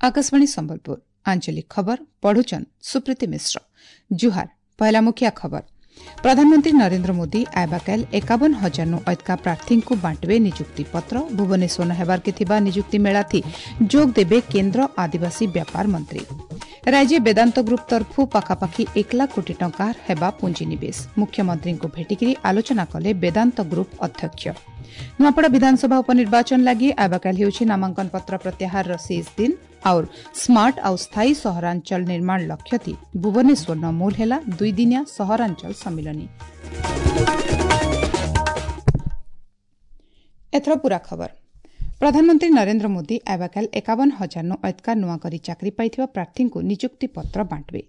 आकाशवाणी ସମ୍ବଲପୁର, ଆଞ୍ଚଳିକ ଖବର ପଢୁଛନ୍ ସୁପ୍ରୀତି ମିଶ୍ର। ଜୁହାର। ପହଲା ମୁଖିଆ ଖବର। ପ୍ରଧାନମନ୍ତ୍ରୀ ନରେନ୍ଦ୍ର ମୋଦି ଆଇବାକାଲ 51,000ନୁ ଅଧିକା ପ୍ରାର୍ଥୀଙ୍କୁ ବାଣ୍ଟିବେ ନିଯୁକ୍ତି ପତ୍ର। ଭୁବନେଶ୍ୱର ହେବାର୍କେ ଥିବା ନିଯୁକ୍ତି ମେଳାଥି ଯୋଗ ଦେବେ କେନ୍ଦ୍ର ଆଦିବାସୀ ବ୍ୟାପାର ମନ୍ତ୍ରୀ। ରାଜ୍ୟ ବେଦାନ୍ତ ଗ୍ରୁପ୍ ତରଫୁ ପାଖାପାଖି 1 ଲାଖ କୋଟି ଟଙ୍କା ହେବା ପୁଞ୍ଜିନିବେଶ। ମୁଖ୍ୟମନ୍ତ୍ରୀଙ୍କୁ ଭେଟିକରି ଆଲୋଚନା କଲେ ବେଦାନ୍ତ ଗ୍ରୁପ୍ ଅଧ୍ୟକ୍ଷ। ନୂଆପଡ଼ା ବିଧାନସଭା ଉପନିର୍ବାଚନ ଲାଗି ଆବାକାଲ ହେଉଛି ନାମାଙ୍କନ ପତ୍ର ପ୍ରତ୍ୟାହାରର ଶେଷ ଦିନ। और ସ୍ମାର୍ଟ ଆଉ ସ୍ଥାୟୀ ସହରାଞ୍ଚଳ ନିର୍ମାଣ ଲକ୍ଷ୍ୟ ଭୁବନେଶ୍ୱର ମୂଲ ହେଲା ଦୁଇଦିନିଆ ସହରାଞ୍ଚଳ ସମ୍ମିଳନୀ। ଏଥର ପୂରା ଖବର। ପ୍ରଧାନମନ୍ତ୍ରୀ ନରେନ୍ଦ୍ର ମୋଦି ଆବାକାଲ 51,000ନୁ ଅଧିକା ନୂଆ କରି ଚାକିରି ପାଇଥିବା ପ୍ରାର୍ଥୀଙ୍କୁ ନିଯୁକ୍ତି ପତ୍ର ବାଣ୍ଟିବେ।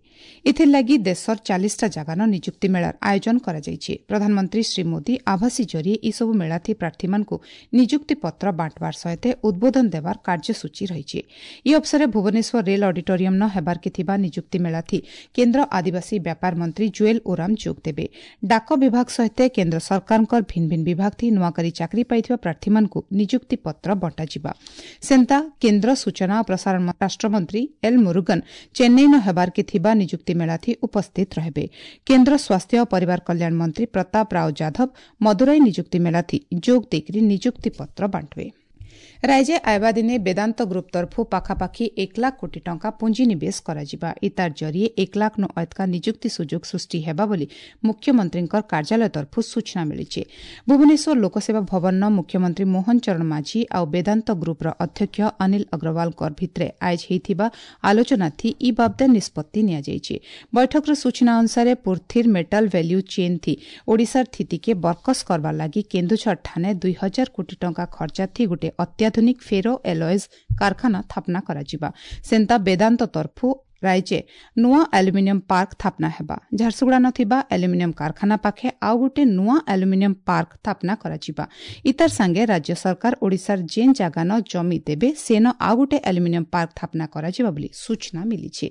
ଏଥିର୍ଲାଗି ଦେଶର 40ଟା ଜାଗାନ ନିଯୁକ୍ତି ମେଳାର ଆୟୋଜନ କରାଯାଇଛି। ପ୍ରଧାନମନ୍ତ୍ରୀ ଶ୍ରୀ ମୋଦି ଆଭାସୀ ଜରିଏ ଏସବୁ ମେଳାଥି ପ୍ରାର୍ଥୀମାନଙ୍କୁ ନିଯୁକ୍ତି ପତ୍ର ବାଣ୍ଟବାର ସହିତ ଉଦ୍ବୋଧନ ଦେବାର କାର୍ଯ୍ୟସୂଚୀ ରହିଛି। ଏହି ଅବସରରେ ଭୁବନେଶ୍ୱର ରେଲ୍ ଅଡିଟୋରିୟମ୍ନ ହେବାର୍କେ ଥିବା ନିଯୁକ୍ତି ମେଳାଥି କେନ୍ଦ୍ର ଆଦିବାସୀ ବ୍ୟାପାର ମନ୍ତ୍ରୀ ଜୁଏଲ ଓରାମ ଯୋଗ ଦେବେ। ଡାକ ବିଭାଗ ସହିତ କେନ୍ଦ୍ର ସରକାରଙ୍କର ଭିନ୍ନ ଭିନ୍ନ ବିଭାଗଥି ନୂଆ କରି ଚାକିରି ପାଇଥିବା ପ୍ରାର୍ଥୀମାନଙ୍କୁ ନିଯୁକ୍ତି ପତ୍ର ବଣ୍ଟାଯିବା। ସେନ୍ତା କେନ୍ଦ୍ର ସୂଚନା ଓ ପ୍ରସାରଣ ରାଷ୍ଟ୍ରମନ୍ତ୍ରୀ ଏଲ୍ ମୁରୁଗନ ଚେନ୍ନାଇନ ହେବାର୍କେ ଥିବା ନିଯୁକ୍ତି ମେଳାଥି ଉପସ୍ଥିତ ରହିବେ। କେନ୍ଦ୍ର ସ୍ୱାସ୍ଥ୍ୟ ଓ ପରିବାର କଲ୍ୟାଣ ମନ୍ତ୍ରୀ ପ୍ରତାପ ରାଓ ଯାଧବ ମଦୁରାଇ ନିଯୁକ୍ତି ମେଳାଥି ଯୋଗ ଦେଇକରି ନିଯୁକ୍ତି ପତ୍ର ବାଣ୍ଟିବେ। ରାଜ୍ୟ ଆଇବା ଦିନେ ବେଦାନ୍ତ ଗ୍ରୁପ୍ ତରଫୁ ପାଖାପାଖି 1 ଲାଖ କୋଟି ଟଙ୍କା ପୁଞ୍ଜିନିବେଶ କରାଯିବା। ଇତାର ଜରିଏ 1 ଲାଖନୁ ଅଧିକା ନିଯୁକ୍ତି ସୁଯୋଗ ସୃଷ୍ଟି ହେବା ବୋଲି ମୁଖ୍ୟମନ୍ତ୍ରୀଙ୍କ କାର୍ଯ୍ୟାଳୟ ତରଫୁ ସୂଚନା ମିଳିଛି। ଭୁବନେଶ୍ୱର ଲୋକସେବା ଭବନର ମୁଖ୍ୟମନ୍ତ୍ରୀ ମୋହନ ଚରଣ ମାଝୀ ଆଉ ବେଦାନ୍ତ ଗ୍ରୁପ୍ର ଅଧ୍ୟକ୍ଷ ଅନିଲ ଅଗ୍ରୱାଲଙ୍କ ଭିତରେ ଆୟୋଜ ହୋଇଥିବା ଆଲୋଚନାଥି ଇ ବାବଦେ ନିଷ୍ପତ୍ତି ନିଆଯାଇଛି। ବୈଠକର ସୂଚନା ଅନୁସାରେ ପୃଥିର ମେଟାଲ ଭ୍ୟାଲ୍ୟୁ ଚେନ୍ ଥି ଓଡ଼ିଶାର ସ୍ଥିତିକେ ବରକସ କରବାର ଲାଗି କେନ୍ଦୁଝର ଠାନେ 2,000 କୋଟି ଟଙ୍କା ଖର୍ଚ୍ଚା ଥି ଗୋଟେ ଅତ୍ୟାଧୁନିକ ଫେରୋ ଏଲଏଜ୍ କାରଖାନା ସ୍ଥାପନା କରାଯିବା। ସେନ୍ତା ବେଦାନ୍ତ ତରଫୁ ରାଜ୍ୟ ନୂଆ ଆଲୁମିନିୟମ ପାର୍କ ସ୍ଥାପନା ହେବା। ଝାରସୁଗୁଡ଼ା ଥିବା ଆଲୁମିନିୟମ କାରଖାନା ପାଖେ ଆଉ ଗୋଟେ ନୂଆ ଆଲୁମିନିୟମ ପାର୍କ ସ୍ଥାପନା କରାଯିବା। ଇତାର ସାଙ୍ଗେ ରାଜ୍ୟ ସରକାର ଓଡ଼ିଶାର ଯେନ୍ ଜାଗାନ ଜମି ଦେବେ ସେନ ଆଉ ଗୋଟେ ଆଲୁମିନିୟମ ପାର୍କ ସ୍ଥାପନା କରାଯିବା ବୋଲି ସୂଚନା ମିଳିଛି।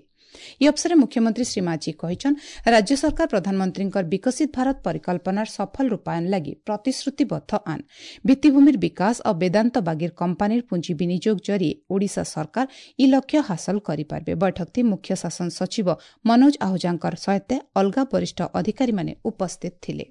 ଏହି ଅବସରରେ ମୁଖ୍ୟମନ୍ତ୍ରୀ ଶ୍ରୀ ମାଝୀ କହିଛନ୍, ରାଜ୍ୟ ସରକାର ପ୍ରଧାନମନ୍ତ୍ରୀଙ୍କର ବିକଶିତ ଭାରତ ପରିକଳ୍ପନାର ସଫଳ ରୂପାୟନ ଲାଗି ପ୍ରତିଶ୍ରୁତିବଦ୍ଧ ଆନ୍। ଭିତ୍ତିଭୂମିର ବିକାଶ ଓ ବେଦାନ୍ତ ବାଗିର କମ୍ପାନୀର ପୁଞ୍ଜି ବିନିଯୋଗ ଜରିଏ ଓଡ଼ିଶା ସରକାର ଇ ଲକ୍ଷ୍ୟ ହାସଲ କରିପାରିବେ। ବୈଠକଥି ମୁଖ୍ୟ ଶାସନ ସଚିବ ମନୋଜ ଆହୁଜାଙ୍କର ସହିତ ଅଲଗା ବରିଷ୍ଠ ଅଧିକାରୀମାନେ ଉପସ୍ଥିତ ଥିଲେ।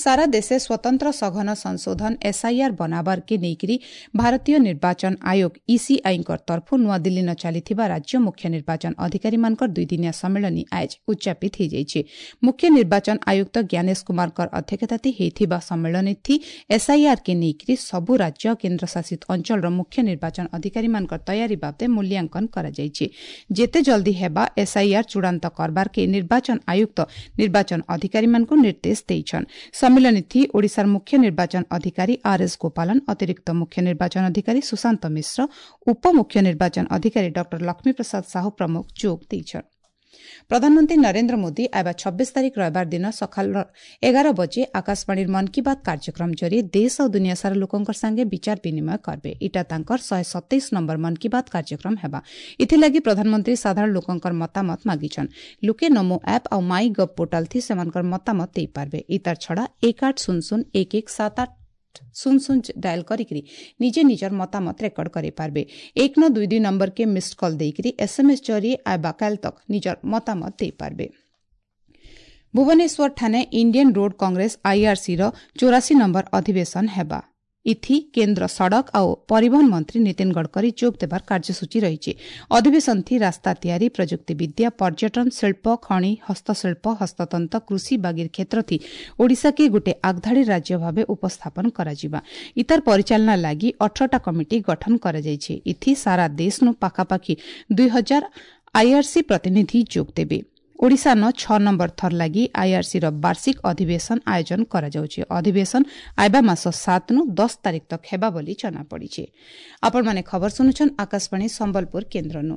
ସାରା ଦେଶେ ସ୍ୱତନ୍ତ୍ର ସଘନ ସଂଶୋଧନ ଏସ୍ଆଇଆର୍ ବନାବାରକେ ନେଇକରି ଭାରତୀୟ ନିର୍ବାଚନ ଆୟୋଗ ଇସିଆଇଙ୍କ ତରଫୁ ନୂଆଦିଲ୍ଲୀନ ଚାଲିଥିବା ରାଜ୍ୟ ମୁଖ୍ୟ ନିର୍ବାଚନ ଅଧିକାରୀମାନଙ୍କର ଦୁଇଦିନିଆ ସମ୍ମିଳନୀ ଆଜ ଉଦ୍ଯାପିତ ହୋଇଯାଇଛି। ମୁଖ୍ୟ ନିର୍ବାଚନ ଆୟୁକ୍ତ ଜ୍ଞାନେଶ କୁମାରଙ୍କ ଅଧ୍ୟକ୍ଷତାଥି ହୋଇଥିବା ସମ୍ମିଳନୀଥି ଏସ୍ଆଇଆର୍କେ ନେଇକରି ସବୁ ରାଜ୍ୟ କେନ୍ଦ୍ରଶାସିତ ଅଞ୍ଚଳର ମୁଖ୍ୟ ନିର୍ବାଚନ ଅଧିକାରୀମାନଙ୍କ ତୟାରୀ ବାବଦେ ମୂଲ୍ୟାଙ୍କନ କରାଯାଇଛି। ଯେତେ ଜଲ୍ଦି ହେବା ଏସ୍ଆଇଆର୍ ଚୂଡ଼ାନ୍ତ କରବାରକେ ନିର୍ବାଚନ ଆୟୁକ୍ତ ନିର୍ବାଚନ ଅଧିକାରୀମାନଙ୍କୁ ନିର୍ଦ୍ଦେଶ ଦେଇଛନ୍। ସମ୍ମିଳନୀଥି ଓଡ଼ିଶାର ମୁଖ୍ୟ ନିର୍ବାଚନ ଅଧିକାରୀ ଆର୍ ଏସ୍ ଗୋପାଳନ, ଅତିରିକ୍ତ ମୁଖ୍ୟ ନିର୍ବାଚନ ଅଧିକାରୀ ସୁଶାନ୍ତ ମିଶ୍ର, ଉପମୁଖ୍ୟ ନିର୍ବାଚନ ଅଧିକାରୀ ଡକ୍ଟର ଲକ୍ଷ୍ମୀପ୍ରସାଦ ସାହୁ ପ୍ରମୁଖ ଯୋଗ ଦେଇଛନ୍। ପ୍ରଧାନମନ୍ତ୍ରୀ ନରେନ୍ଦ୍ର ମୋଦି ଆଇବା 26 ତାରିଖ ରବିବାର ଦିନ ସକାଳ 11 ବଜେ ଆକାଶବାଣୀର ମନ୍ କି ବାତ୍ କାର୍ଯ୍ୟକ୍ରମ ଜରିଏ ଦେଶ ଆଉ ଦୁନିଆ ସାରା ଲୋକଙ୍କ ସାଙ୍ଗେ ବିଚାର ବିନିମୟ କରିବେ। ଇଟା ତାଙ୍କର 127 ନମ୍ବର ମନ୍ କି ବାତ୍ କାର୍ଯ୍ୟକ୍ରମ ହେବା। ଏଥିଲାଗି ପ୍ରଧାନମନ୍ତ୍ରୀ ସାଧାରଣ ଲୋକଙ୍କର ମତାମତ ମାଗିଛନ୍। ଲୋକେ ନମୋ ଆପ୍ ଆଉ ମାଇ ଗଭ୍ ପୋର୍ଟାଲ ଥି ସେମାନଙ୍କର ମତାମତ ଦେଇପାରିବେ। ଇତାର ଛଡ଼ା 1800117800 ଡାଏଲ କରିକିରି ନିଜେ ନିଜର ମତାମତ ରେକର୍ଡ କରିପାରିବେ। 1922 ନମ୍ବରକେ ମିସ୍ଡ କଲ୍ ଦେଇକରି ଏସ୍ଏମ୍ଏସ୍ ଜରିଏ ଆବାକାଲ ତକ୍ ନିଜର ମତାମତ ଦେଇପାରିବେ। ଭୁବନେଶ୍ୱର ଠାନେ ଇଣ୍ଡିଆନ୍ ରୋଡ୍ କଂଗ୍ରେସ ଆଇଆର୍ସିର 84 ନମ୍ବର ଅଧିବେଶନ ହେବା। ଇଥି କେନ୍ଦ୍ର ସଡ଼କ ଆଉ ପରିବହନ ମନ୍ତ୍ରୀ ନୀତିନ ଗଡ଼କରୀ ଯୋଗ ଦେବାର କାର୍ଯ୍ୟସୂଚୀ ରହିଛି। ଅଧିବେଶନଥି ରାସ୍ତା ତିଆରି, ପ୍ରଯୁକ୍ତି ବିଦ୍ୟା, ପର୍ଯ୍ୟଟନ, ଶିଳ୍ପ, ଖଣି, ହସ୍ତଶିଳ୍ପ, ହସ୍ତତନ୍ତ, କୃଷି ବାଗିର କ୍ଷେତ୍ରଥି ଓଡ଼ିଶାକେ ଗୋଟେ ଆଗଧାଡ଼ି ରାଜ୍ୟ ଭାବେ ଉପସ୍ଥାପନ କରାଯିବା। ଇତାର ପରିଚାଳନା ଲାଗି 18ଟା କମିଟି ଗଠନ କରାଯାଇଛି। ଇଥି ସାରା ଦେଶନୁ ପାଖାପାଖି 2,000 ଆଇଆର୍ସି ପ୍ରତିନିଧି ଯୋଗ ଦେବେ। ଓଡ଼ିଶାନ 6 ନମ୍ବର ଥର ଲାଗି ଆଇଆର୍ସିର ବାର୍ଷିକ ଅଧିବେଶନ ଆୟୋଜନ କରାଯାଉଛି। ଅଧିବେଶନ ଆଇବା ମାସ 7ନୁ 10 ତାରିଖ ତକ ହେବା ବୋଲି ଜଣାପଡ଼ିଛି। ଆପଣମାନେ ଖବର ଶୁଣୁଛନ୍ ଆକାଶବାଣୀ ସମ୍ବଲପୁର କେନ୍ଦ୍ରନୁ।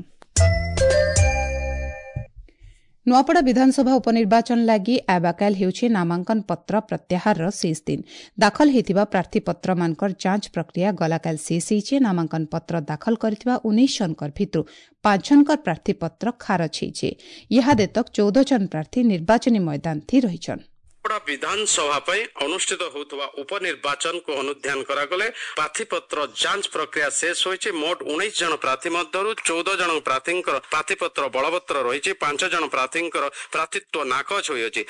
ନୂଆପଡ଼ା ବିଧାନସଭା ଉପନିର୍ବାଚନ ଲାଗି ଆବାକାଲ ହେଉଛି ନାମାଙ୍କନ ପତ୍ର ପ୍ରତ୍ୟାହାରର ଶେଷ ଦିନ। ଦାଖଲ ହୋଇଥିବା ପ୍ରାର୍ଥୀପତ୍ରମାନଙ୍କର ଯାଞ୍ଚ ପ୍ରକ୍ରିୟା ଗଲାକାଲି ଶେଷ ହୋଇଛି। ନାମାଙ୍କନ ପତ୍ର ଦାଖଲ କରିଥିବା 19 ଜଣଙ୍କର ଭିତରୁ 5 ଜଣଙ୍କର ପ୍ରାର୍ଥୀପତ୍ର ଖାରଜ ହୋଇଛି। ଇହାଦେ ତକ୍ 14 ଜଣ ପ୍ରାର୍ଥୀ ନିର୍ବାଚନୀ ମଇଦାନଥି ରହିଛନ୍। ବିଧାନସଭା ପାଇଁ ଅନୁଷ୍ଠିତ ହେଉଥିବା ଉପନିର୍ବାଚନକୁ ଅନୁଧ୍ୟାନ କରାଗଲେ ପ୍ରାର୍ଥୀପତ୍ର ଯାଞ୍ଚ ପ୍ରକ୍ରିୟା ଶେଷ ହୋଇଛି। ମୋଟ 19 ଜଣ ପ୍ରାର୍ଥୀ ମଧ୍ୟରୁ 14 ଜଣ ପ୍ରାର୍ଥୀଙ୍କର ପ୍ରାର୍ଥୀପତ୍ର ବଳବତ୍ତର ରହିଛି, 5 ଜଣ ପ୍ରାର୍ଥୀଙ୍କର ପ୍ରାର୍ଥୀତ୍ୱ ନାକଚ ହୋଇଅଛି।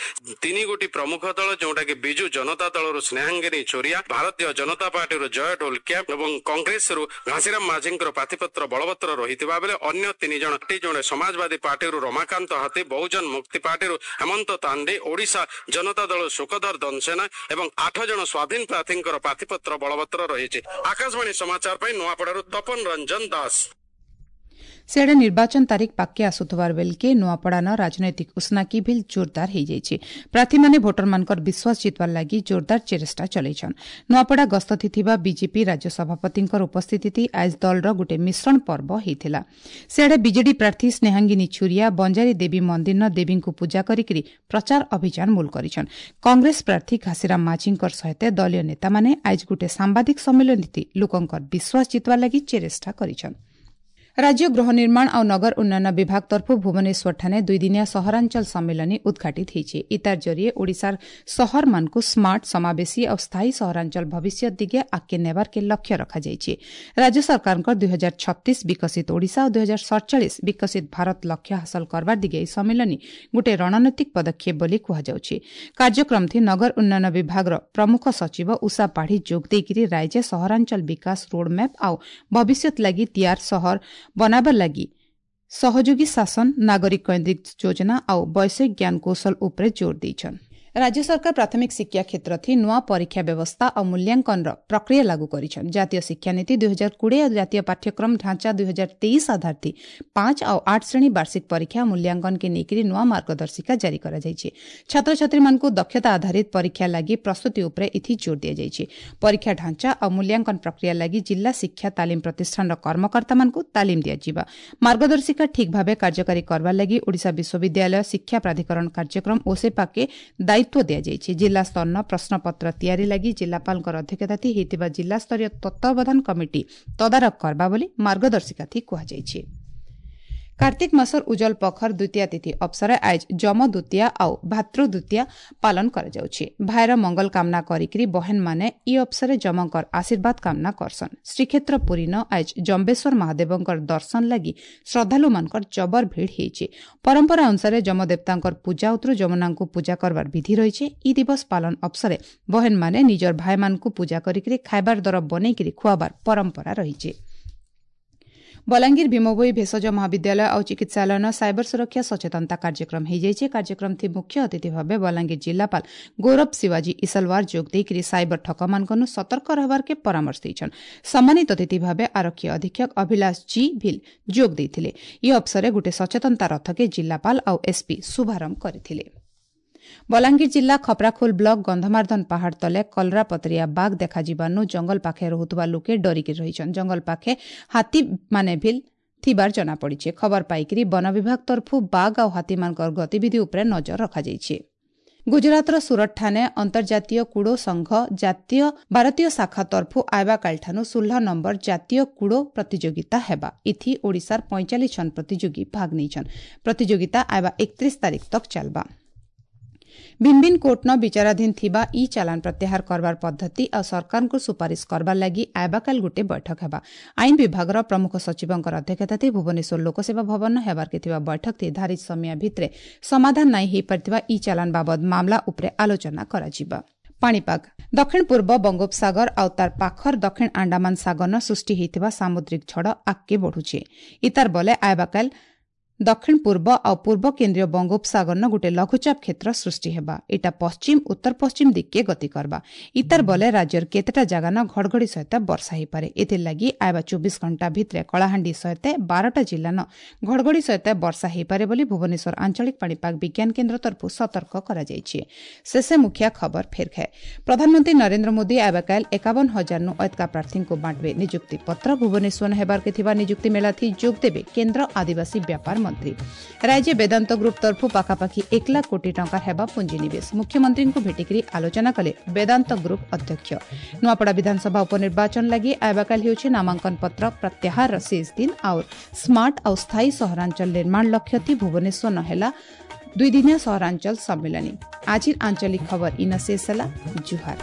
3 ଗୋଟି ପ୍ରମୁଖ ଦଳ, ଯେଉଁଟାକି ବିଜୁ ଜନତା ଦଳରୁ ସ୍ନେହାଙ୍ଗିନୀ ଛୁରିଆ, ଭାରତୀୟ ଜନତା ପାର୍ଟିରୁ ଜୟ ଢୋଲକିଆ ଏବଂ କଂଗ୍ରେସରୁ ଘାସିରାମ ମାଝୀଙ୍କର ପ୍ରାର୍ଥୀପତ୍ର ବଳବତ୍ତର ରହିଥିବା ବେଳେ ଅନ୍ୟ 3 ଜଣ, ଜଣେ ସମାଜବାଦୀ ପାର୍ଟିରୁ ରମାକାନ୍ତ ହାତୀ, ବହୁଜନ ମୁକ୍ତି ପାର୍ଟିରୁ ହେମନ୍ତ ତାଣ୍ଡି, ଓଡ଼ିଶା ଜନତା ଦଳ ସୁଖଧର ଦନସେନା ଏବଂ 8 ଜଣ ସ୍ୱାଧୀନ ପ୍ରାର୍ଥୀଙ୍କର ପ୍ରାର୍ଥୀପତ୍ର ବଳବତ୍ତର ରହିଛି। ଆକାଶବାଣୀ ସମାଚାର ପାଇଁ ନୂଆପଡ଼ାରୁ ତପନ ରଞ୍ଜନ ଦାସ। ସିଆଡ଼େ ନିର୍ବାଚନ ତାରିଖ ପାଖେ ଆସୁଥିବାର ବେଲକେ ନୂଆପଡ଼ାନ ରାଜନୈତିକ ଉସ୍ନାକି ଭିଲ୍ ଜୋରଦାର ହୋଇଯାଇଛି। ପ୍ରାର୍ଥୀମାନେ ଭୋଟରମାନଙ୍କର ବିଶ୍ୱାସ ଜିତବାର ଲାଗି ଜୋରଦାର ଚେଷ୍ଟା ଚଲେଇଛନ୍। ନୂଆପଡ଼ା ଗସ୍ତ ଥିବା ବିଜେପି ରାଜ୍ୟ ସଭାପତିଙ୍କର ଉପସ୍ଥିତି ଆଜ ଦଳର ଗୋଟିଏ ମିଶ୍ରଣ ପର୍ବ ହୋଇଥିଲା। ସିଆଡ଼େ ବିଜେଡି ପ୍ରାର୍ଥୀ ସ୍ନେହାଙ୍ଗିନୀ ଛୁରିଆ ବଞ୍ଜାରୀ ଦେବୀ ମନ୍ଦିରନ ଦେବୀଙ୍କୁ ପୂଜା କରିକି ପ୍ରଚାର ଅଭିଯାନ ମୂଳ କରିଛନ୍। କଂଗ୍ରେସ ପ୍ରାର୍ଥୀ ଘାସିରାମ ମାଝୀଙ୍କର ସହିତ ଦଳୀୟ ନେତାମାନେ ଆଜ ଗୋଟିଏ ସାମ୍ବାଦିକ ସମ୍ମିଳନୀ ଲୋକଙ୍କର ବିଶ୍ୱାସ ଜିତବାର ଲାଗି ଚେଷ୍ଟା କରିଛନ୍। ରାଜ୍ୟ ଗୃହ ନିର୍ମାଣ ଆଉ ନଗର ଉନ୍ନୟନ ବିଭାଗ ତରଫରୁ ଭୁବନେଶ୍ୱରଠାରେ ଦୁଇଦିନିଆ ସହରାଞ୍ଚଳ ସମ୍ମିଳନୀ ଉଦ୍ଘାଟିତ ହୋଇଛି। ଇତାର ଜରିଏ ଓଡ଼ିଶାର ସହରମାନଙ୍କୁ ସ୍ମାର୍ଟ, ସମାବେଶୀ ଆଉ ସ୍ଥାୟୀ ସହରାଞ୍ଚଳ ଭବିଷ୍ୟତ ଦିଗେ ଆଗକେ ନେବାରକେ ଲକ୍ଷ୍ୟ ରଖାଯାଇଛି। ରାଜ୍ୟ ସରକାରଙ୍କ 2036 ବିକଶିତ ଓଡ଼ିଶା ଓ 2047 ବିକଶିତ ଭାରତ ଲକ୍ଷ୍ୟ ହାସଲ କରବାର ଦିଗେ ଏହି ସମ୍ମିଳନୀ ଗୋଟିଏ ରଣନୈତିକ ପଦକ୍ଷେପ ବୋଲି କୁହାଯାଉଛି। କାର୍ଯ୍ୟକ୍ରମଥି ନଗର ଉନ୍ନୟନ ବିଭାଗର ପ୍ରମୁଖ ସଚିବ ଉଷା ପାଢ଼ୀ ଯୋଗ ଦେଇକରି ରାଜ୍ୟ ସହରାଞ୍ଚଳ ବିକାଶ ରୋଡମ୍ୟାପ୍ ଆଉ ଭବିଷ୍ୟତ ଲାଗି ତିଆର ସହର ବନାବାର ଲାଗି ସହଯୋଗୀ ଶାସନ, ନାଗରିକ କୈନ୍ଦ୍ରିକ ଯୋଜନା ଆଉ ବୈଷୟିକ ଜ୍ଞାନକୌଶଳ ଉପରେ ଜୋର ଦେଇଛନ୍। ରାଜ୍ୟ ସରକାର ପ୍ରାଥମିକ ଶିକ୍ଷା କ୍ଷେତ୍ରଥି ନୂଆ ପରୀକ୍ଷା ବ୍ୟବସ୍ଥା ଆଉ ମୂଲ୍ୟାଙ୍କନର ପ୍ରକ୍ରିୟା ଲାଗୁ କରିଛନ୍। ଜାତୀୟ ଶିକ୍ଷାନୀତି 2020 ଆଉ ଜାତୀୟ ପାଠ୍ୟକ୍ରମ ଢାଞ୍ଚା 2023 ଆଧାରଥି 5 ଆଉ 8 ଶ୍ରେଣୀ ବାର୍ଷିକ ପରୀକ୍ଷା ମୂଲ୍ୟାଙ୍କନକେ ନେଇକରି ନୂଆ ମାର୍ଗଦର୍ଶିକା ଜାରି କରାଯାଇଛି। ଛାତ୍ରଛାତ୍ରୀମାନଙ୍କୁ ଦକ୍ଷତା ଆଧାରିତ ପରୀକ୍ଷା ଲାଗି ପ୍ରସ୍ତୁତି ଉପରେ ଏଥି ଜୋର ଦିଆଯାଇଛି। ପରୀକ୍ଷା ଢାଞ୍ଚା ଆଉ ମୂଲ୍ୟାଙ୍କନ ପ୍ରକ୍ରିୟା ଲାଗି ଜିଲ୍ଲା ଶିକ୍ଷା ତାଲିମ ପ୍ରତିଷ୍ଠାନର କର୍ମକର୍ତ୍ତାମାନଙ୍କୁ ତାଲିମ ଦିଆଯିବ। ମାର୍ଗଦର୍ଶିକା ଠିକ୍ ଭାବେ କାର୍ଯ୍ୟକାରୀ କରବାର ଲାଗି ଓଡ଼ିଶା ବିଶ୍ୱବିଦ୍ୟାଳୟ ଶିକ୍ଷା ପ୍ରାଧିକରଣ କାର୍ଯ୍ୟକ୍ରମ ଓସେପାକେ ଦାୟିତ୍ୱ ଦିଆଯାଇଛି। ଜିଲ୍ଲା ସ୍ତରର ପ୍ରଶ୍ନପତ୍ର ତିଆରି ଲାଗି ଜିଲ୍ଲାପାଳଙ୍କର ଅଧ୍ୟକ୍ଷତା ହୋଇଥିବା ଜିଲ୍ଲାସ୍ତରୀୟ ତତ୍ତ୍ୱାବଧାନ କମିଟି ତଦାରଖ କରବା ବୋଲି ମାର୍ଗଦର୍ଶିକାଥି କୁହାଯାଇଛି। କାର୍ତ୍ତିକ ମାସର ଉଜଲ ପଖର ଦ୍ୱିତୀୟା ତିଥି ଅବସରେ ଆଜ ଯମ ଦ୍ୱିତୀୟା ଆଉ ଭାତୃ ଦ୍ୱିତୀୟା ପାଳନ କରାଯାଉଛି। ଭାଇର ମଙ୍ଗଳ କାମନା କରିକି ବହେନମାନେ ଇ ଅବସରେ ଯମଙ୍କର ଆଶୀର୍ବାଦ କାମନା କରସନ୍। ଶ୍ରୀକ୍ଷେତ୍ର ପୁରୀନ ଆଜ ଜମ୍ବେଶ୍ୱର ମହାଦେବଙ୍କର ଦର୍ଶନ ଲାଗି ଶ୍ରଦ୍ଧାଳୁମାନଙ୍କର ଜବର ଭିଡ଼ ହେଇଛି। ପରମ୍ପରା ଅନୁସାରେ ଯମଦେବତାଙ୍କର ପୂଜା ଉତରୁ ଯମୁନାଙ୍କୁ ପୂଜା କରବାର ବିଧି ରହିଛି। ଇ ଦିବସ ପାଳନ ଅବସରେ ବହେନମାନେ ନିଜର ଭାଇମାନଙ୍କୁ ପୂଜା କରିକି ଖାଇବାର ଦର ବନେଇକି ଖୁଆବାର ପରମ୍ପରା ରହିଛି। ବଲାଙ୍ଗୀର ଭୀମଭୋଇ ଭେଷଜ ମହାବିଦ୍ୟାଳୟ ଆଉ ଚିକିତ୍ସାଳୟର ସାଇବର ସୁରକ୍ଷା ସଚେତନତା କାର୍ଯ୍ୟକ୍ରମ ହୋଇଯାଇଛି। କାର୍ଯ୍ୟକ୍ରମଥି ମୁଖ୍ୟ ଅତିଥି ଭାବେ ବଲାଙ୍ଗୀର ଜିଲ୍ଲାପାଳ ଗୌରବ ଶିବାଜୀ ଇସଲୱାର ଯୋଗ ଦେଇକରି ସାଇବର ଠକମାନଙ୍କନୁ ସତର୍କ ରହିବାରକେ ପରାମର୍ଶ ଦେଇଛନ୍। ସମ୍ମାନିତ ଅତିଥି ଭାବେ ଆରକ୍ଷୀ ଅଧୀକ୍ଷକ ଅଭିଲାଷ ଜି ଭିଲ ଯୋଗ ଦେଇଥିଲେ। ଇ ଅବସରରେ ଗୋଟିଏ ସଚେତନତା ରଥକେ ଜିଲ୍ଲାପାଳ ଆଉ ଏସ୍ପି ଶୁଭାରମ୍ଭ କରିଥିଲେ। ବଲାଙ୍ଗୀର ଜିଲ୍ଲା ଖପ୍ରାଖୋଲ ବ୍ଲକ ଗନ୍ଧମାର୍ଦ୍ଦନ ପାହାଡ଼ ତଲେ କଲରାପତରିଆ ବାଘ ଦେଖାଯିବାନୁ ଜଙ୍ଗଲ ପାଖେ ରହୁଥିବା ଲୋକେ ଡରିକି ରହିଛନ୍। ଜଙ୍ଗଲ ପାଖେ ହାତୀମାନେ ଭିଲ୍ ଥିବାର ଜଣାପଡ଼ିଛି। ଖବର ପାଇକରି ବନ ବିଭାଗ ତରଫରୁ ବାଘ ଆଉ ହାତୀମାନଙ୍କର ଗତିବିଧି ଉପରେ ନଜର ରଖାଯାଇଛି। ଗୁଜରାଟର ସୁରତଠାରେ ଅନ୍ତର୍ଜାତୀୟ କୁଡ଼ୋ ସଂଘ ଜାତୀୟ ଭାରତୀୟ ଶାଖା ତରଫରୁ ଆଇବାକାଲିଠାନୁ 16 ନମ୍ବର ଜାତୀୟ କୁଡ଼ୋ ପ୍ରତିଯୋଗିତା ହେବା। ଇଥି ଓଡ଼ିଶାର 45 ଜଣ ପ୍ରତିଯୋଗୀ ଭାଗ ନେଇଛନ୍। ପ୍ରତିଯୋଗିତା ଆଇବା 31 ତାରିଖ ତକ୍ ଚାଲବା। ଭିନ୍ ଭିନ୍ କୋର୍ଟନ ବିଚାରାଧୀନ ଥିବା ଇ ଚାଲାଣ ପ୍ରତ୍ୟାହାର କରବାର ପଦ୍ଧତି ଆଉ ସରକାରଙ୍କୁ ସୁପାରିଶ କରବାର ଲାଗି ଆଇବାକାଲ ଗୋଟିଏ ବୈଠକ ହେବା। ଆଇନ ବିଭାଗର ପ୍ରମୁଖ ସଚିବଙ୍କର ଅଧ୍ୟକ୍ଷତାରେ ଭୁବନେଶ୍ୱର ଲୋକସେବା ଭବନ ହେବାରକେ ଥିବା ବୈଠକରେ ଧାରିତ ସମୟ ଭିତରେ ସମାଧାନ ନାଇଁ ହୋଇପାରିଥିବା ଇ ଚାଲାଣ ବାବଦ ମାମଲା ଉପରେ ଆଲୋଚନା କରାଯିବ। ପାଣିପାଗ ଦକ୍ଷିଣ ପୂର୍ବ ବଙ୍ଗୋପସାଗର ଆଉ ତାର ପାଖର ଦକ୍ଷିଣ ଆଣ୍ଡାମାନ ସାଗରନ ସୃଷ୍ଟି ହୋଇଥିବା ସାମୁଦ୍ରିକ ଝଡ଼ ଆଗକେ ବଢ଼ୁଛେ। ଇତାର ବଲେ ଆଇବାକାଲ ଦକ୍ଷିଣ ପୂର୍ବ ଆଉ ପୂର୍ବ କେନ୍ଦ୍ରୀୟ ବଙ୍ଗୋପସାଗରନ ଗୋଟିଏ ଲଘୁଚାପ କ୍ଷେତ୍ର ସୃଷ୍ଟି ହେବା। ଏଇଟା ପଶ୍ଚିମ ଉତ୍ତର ପଶ୍ଚିମ ଦିଗକେ ଗତି କରବା। ଇତାର ବଲେ ରାଜ୍ୟର କେତେଟା ଜାଗାନ ଘଡ଼ଘଡ଼ି ସହିତ ବର୍ଷା ହେଇପାରେ। ଏଥିର୍ଲାଗି ଆଇବା 24 ଘଣ୍ଟା ଭିତରେ କଳାହାଣ୍ଡି ସହିତ 12ଟା ଜିଲ୍ଲାନ ଘଡ଼ଘଡ଼ି ସହିତ ବର୍ଷା ହେଇପାରେ ବୋଲି ଭୁବନେଶ୍ୱର ଆଞ୍ଚଳିକ ପାଣିପାଗ ବିଜ୍ଞାନ କେନ୍ଦ୍ର ତରଫରୁ ସତର୍କ କରାଯାଇଛି। ଶେଷେ ମୁଖିଆ ଖବର ଫେର ଖାଏ। ପ୍ରଧାନମନ୍ତ୍ରୀ ନରେନ୍ଦ୍ର ମୋଦି ଆଇବାକାଲ 51,000 ଅୟତ୍କା ପ୍ରାର୍ଥୀଙ୍କୁ ବାଣ୍ଟବେ ନିଯୁକ୍ତି ପତ୍ର। ଭୁବନେଶ୍ୱର ହେବାରକେ ଥିବା ନିଯୁକ୍ତି ମେଳାଥି ଯୋଗ ଦେବେ କେନ୍ଦ୍ର ଆଦିବାସୀ ବ୍ୟାପାର ମନ୍ତ୍ରୀ। ରାଜ୍ୟ ବେଦାନ୍ତ ଗ୍ରୁପ୍ ତରଫରୁ ପାଖାପାଖି 1 ଲାଖ କୋଟି ଟଙ୍କା ହେବା ପୁଞ୍ଜିନିବେଶ। ମୁଖ୍ୟମନ୍ତ୍ରୀଙ୍କୁ ଭେଟିକରି ଆଲୋଚନା କଲେ ବେଦାନ୍ତ ଗ୍ରୁପ୍ ଅଧ୍ୟକ୍ଷ। ନୂଆପଡ଼ା ବିଧାନସଭା ଉପନିର୍ବାଚନ ଲାଗି ଆଇବାକାଲ ହେଉଛି ନାମାଙ୍କନ ପତ୍ର ପ୍ରତ୍ୟାହାରର ଶେଷ ଦିନ। ଆଉ ସ୍ମାର୍ଟ ଆଉ ସ୍ଥାୟୀ ସହରାଞ୍ଚଳ ନିର୍ମାଣ ଲକ୍ଷ୍ୟଥି ଭୁବନେଶ୍ୱର ହେଲା ଦୁଇଦିନିଆ ସହରାଞ୍ଚଳ ସମ୍ମିଳନୀ। ଆଜିର ଆଞ୍ଚଳିକ ଖବର ଇନ ଶେଷ ହେଲା। ଜୁହାର।